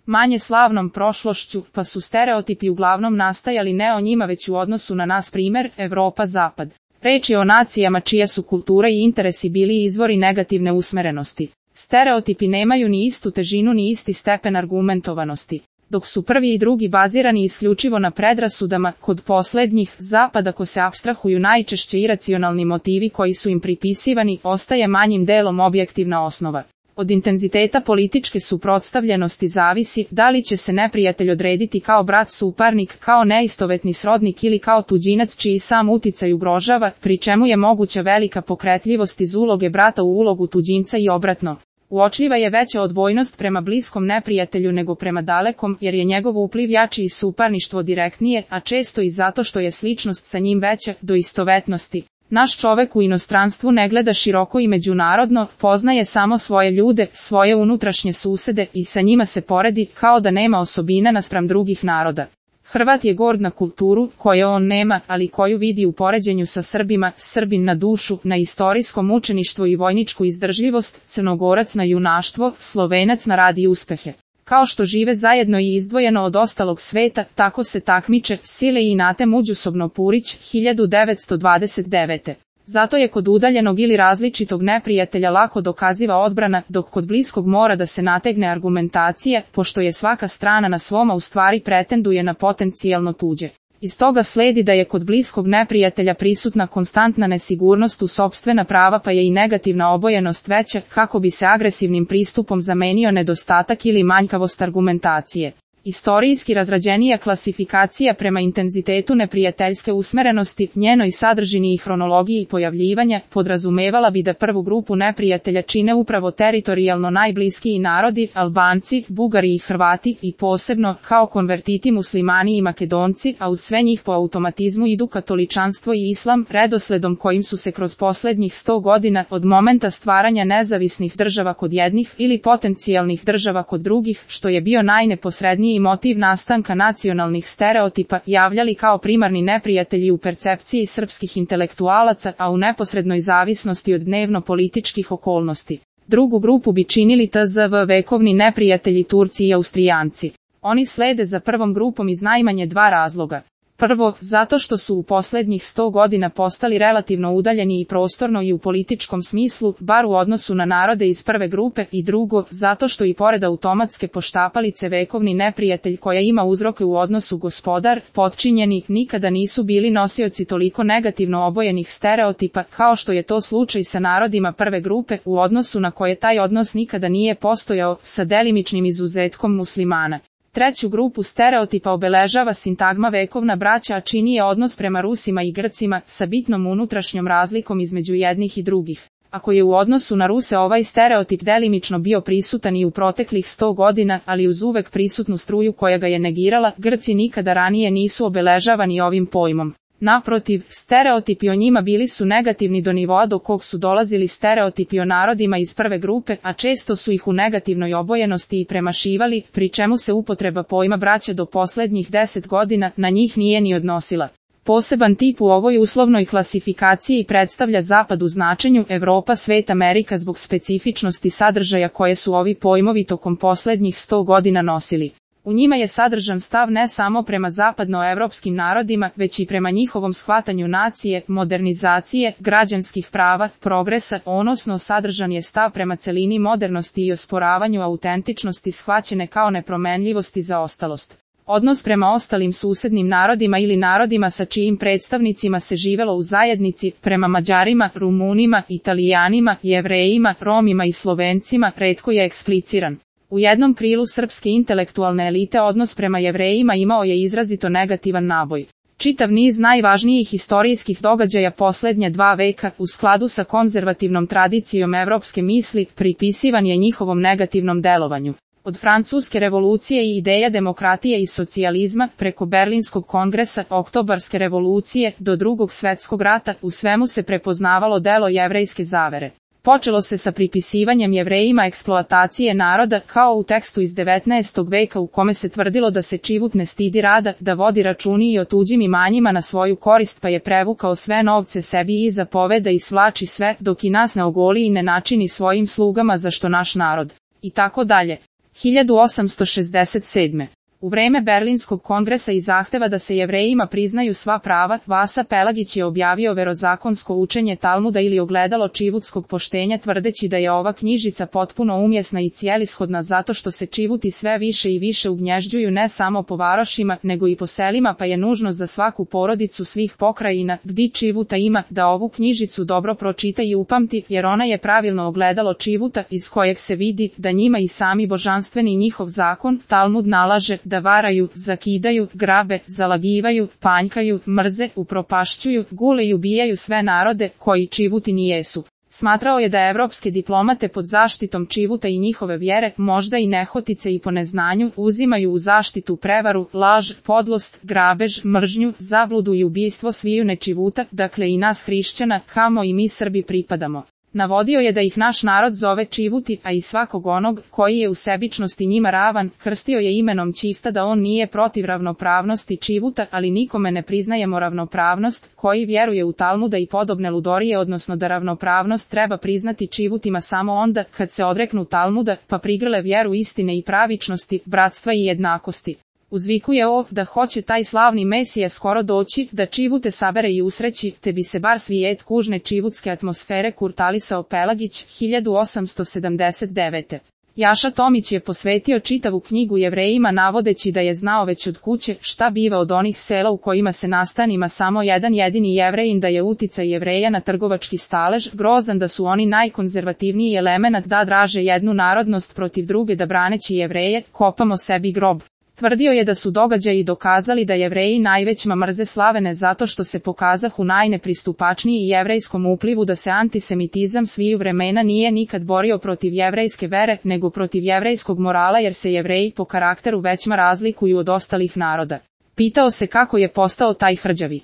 manje slavnom prošlošću, pa su stereotipi uglavnom nastajali ne o njima već u odnosu na nas, primer, Evropa-Zapad. Reč je o nacijama čija su kultura i interesi bili izvori negativne usmerenosti. Stereotipi nemaju ni istu težinu ni isti stepen argumentovanosti. Dok su prvi i drugi bazirani isključivo na predrasudama, kod poslednjih, Zapad, ako se apstrahuju najčešće iracionalni motivi koji su im pripisivani, ostaje manjim delom objektivna osnova. Od intenziteta političke suprotstavljenosti zavisi da li će se neprijatelj odrediti kao brat suparnik, kao neistovetni srodnik ili kao tuđinac čiji sam uticaj ugrožava, pri čemu je moguća velika pokretljivost iz uloge brata u ulogu tuđinca i obratno. Uočljiva je veća odbojnost prema bliskom neprijatelju nego prema dalekom, jer je njegov upliv jači i suparništvo direktnije, a često i zato što je sličnost sa njim veća, do istovetnosti. Naš čovek u inostranstvu ne gleda široko i međunarodno, poznaje samo svoje ljude, svoje unutrašnje susede i sa njima se poredi, kao da nema osobina naspram drugih naroda. Hrvat je gord na kulturu, koje on nema, ali koju vidi u poređenju sa Srbima, Srbin na dušu, na istorijsko mučeništvo i vojničku izdržljivost, Crnogorac na junaštvo, Slovenac na rad i uspehe. Kao što žive zajedno i izdvojeno od ostalog sveta, tako se takmiče, sile i inate međusobno. Purić, 1929. Zato je kod udaljenog ili različitog neprijatelja lako dokaziva odbrana, dok kod bliskog mora da se nategne argumentacija, pošto je svaka strana na svoma u stvari pretenduje na potencijalno tuđe. Iz toga sledi da je kod bliskog neprijatelja prisutna konstantna nesigurnost u sopstvena prava, pa je i negativna obojenost veća, kako bi se agresivnim pristupom zamenio nedostatak ili manjkavost argumentacije. Istorijski razrađenija klasifikacija prema intenzitetu neprijateljske usmerenosti, njenoj sadržini i hronologiji pojavljivanja, podrazumevala bi da prvu grupu neprijatelja čine upravo teritorijalno najbliskiji narodi, Albanci, Bugari i Hrvati, i posebno, kao konvertiti Muslimani i Makedonci, a uz sve njih po automatizmu idu katoličanstvo i islam, redosledom kojim su se kroz poslednjih 100 godina, od momenta stvaranja nezavisnih država kod jednih ili potencijalnih država kod drugih, što je bio najneposredniji motiv nastanka nacionalnih stereotipa, javljali kao primarni neprijatelji u percepciji srpskih intelektualaca, a u neposrednoj zavisnosti od dnevno-političkih okolnosti. Drugu grupu bi činili tzv. Vekovni neprijatelji Turci i Austrijanci. Oni slede za prvom grupom iz najmanje dva razloga. Prvo, zato što su u poslednjih 100 godina postali relativno udaljeni i prostorno i u političkom smislu, bar u odnosu na narode iz prve grupe, i drugo, zato što i pored automatske poštapalice vekovni neprijatelj koja ima uzroke u odnosu gospodar, potčinjeni, nikada nisu bili nosioci toliko negativno obojenih stereotipa, kao što je to slučaj sa narodima prve grupe, u odnosu na koje taj odnos nikada nije postojao, sa delimičnim izuzetkom muslimana. Treću grupu stereotipa obeležava sintagma vekovna braća, a čini je odnos prema Rusima i Grcima, sa bitnom unutrašnjom razlikom između jednih i drugih. Ako je u odnosu na Ruse ovaj stereotip delimično bio prisutan i u proteklih 100 godina, ali uz uvek prisutnu struju koja ga je negirala, Grci nikada ranije nisu obeležavani ovim pojmom. Naprotiv, stereotipi o njima bili su negativni do nivoa do kog su dolazili stereotipi o narodima iz prve grupe, a često su ih u negativnoj obojenosti i premašivali, pri čemu se upotreba pojma braća do poslednjih 10 godina na njih nije ni odnosila. Poseban tip u ovoj uslovnoj klasifikaciji predstavlja Zapad u značenju Evropa, svet, Amerika zbog specifičnosti sadržaja koje su ovi pojmovi tokom poslednjih 100 godina nosili. U njima je sadržan stav ne samo prema zapadnoevropskim narodima, već i prema njihovom shvatanju nacije, modernizacije, građanskih prava, progresa, odnosno sadržan je stav prema celini modernosti i osporavanju autentičnosti shvaćene kao nepromenljivost i zaostalost. Odnos prema ostalim susednim narodima ili narodima sa čijim predstavnicima se živelo u zajednici, prema Mađarima, Rumunima, Italijanima, Jevrejima, Romima i Slovencima, retko je ekspliciran. U jednom krilu srpske intelektualne elite odnos prema Jevrejima imao je izrazito negativan naboj. Čitav niz najvažnijih historijskih događaja poslednja 2 veka, u skladu sa konzervativnom tradicijom evropske misli, pripisivan je njihovom negativnom delovanju. Od Francuske revolucije i ideja demokratije i socijalizma, preko Berlinskog kongresa, Oktobarske revolucije, do Drugog svetskog rata, u svemu se prepoznavalo delo jevrejske zavere. Počelo se sa pripisivanjem Jevrejima eksploatacije naroda, kao u tekstu iz 19. veka u kome se tvrdilo da se čivuk ne stidi rada, da vodi računi i o tuđim imanjima na svoju korist, pa je prevukao sve novce sebi i zapoveda i svlači sve, dok i nas ne ogoli i ne načini svojim slugama za što naš narod. I tako dalje. 1867. U vreme Berlinskog kongresa i zahteva da se Jevrejima priznaju sva prava, Vasa Pelagić je objavio verozakonsko učenje Talmuda ili ogledalo čivutskog poštenja tvrdeći da je ova knjižica potpuno umjesna i cijelishodna zato što se čivuti sve više i više ugnježđuju ne samo po varošima nego i po selima pa je nužno za svaku porodicu svih pokrajina gdje čivuta ima da ovu knjižicu dobro pročita i upamti jer ona je pravilno ogledalo čivuta iz kojeg se vidi da njima i sami božanstveni njihov zakon Talmud nalaže da varaju, zakidaju, grabe, zalagivaju, panjkaju, mrze, upropašćuju, gule i ubijaju sve narode koji čivutini jesu. Smatrao je da evropske diplomate pod zaštitom čivuta i njihove vjere, možda i nehotice i po neznanju, uzimaju u zaštitu prevaru, laž, podlost, grabež, mržnju, zabludu i ubijstvo sviju nečivuta, dakle i nas hrišćana, kamo i mi Srbi pripadamo. Navodio je da ih naš narod zove čivuti, a i svakog onog koji je u sebičnosti njima ravan, krstio je imenom Čifta da on nije protiv ravnopravnosti čivuta, ali nikome ne priznajemo ravnopravnost, koji vjeruje u Talmuda i podobne ludorije, odnosno da ravnopravnost treba priznati čivutima samo onda kad se odreknu Talmuda, pa prigrle vjeru istine i pravičnosti, bratstva i jednakosti. Uzvikuje da hoće taj slavni Mesija skoro doći, da čivute sabere i usreći, te bi se bar svijet kužne čivutske atmosfere kurtalisao Pelagić, 1879. Jaša Tomić je posvetio čitavu knjigu Jevrejima navodeći da je znao već od kuće šta biva od onih sela u kojima se nastanima samo jedan jedini Jevrejin, da je uticaj Jevreja na trgovački stalež grozan, da su oni najkonzervativniji elemenat da draže jednu narodnost protiv druge, da braneći Jevreje kopamo sebi grob. Tvrdio je da su događaji dokazali da Jevreji najvećma mrze slavene zato što se pokazahu najnepristupačniji jevrejskom uplivu, da se antisemitizam sviju vremena nije nikad borio protiv jevrejske vere, nego protiv jevrejskog morala jer se Jevreji po karakteru većma razlikuju od ostalih naroda. Pitao se kako je postao taj hrđavi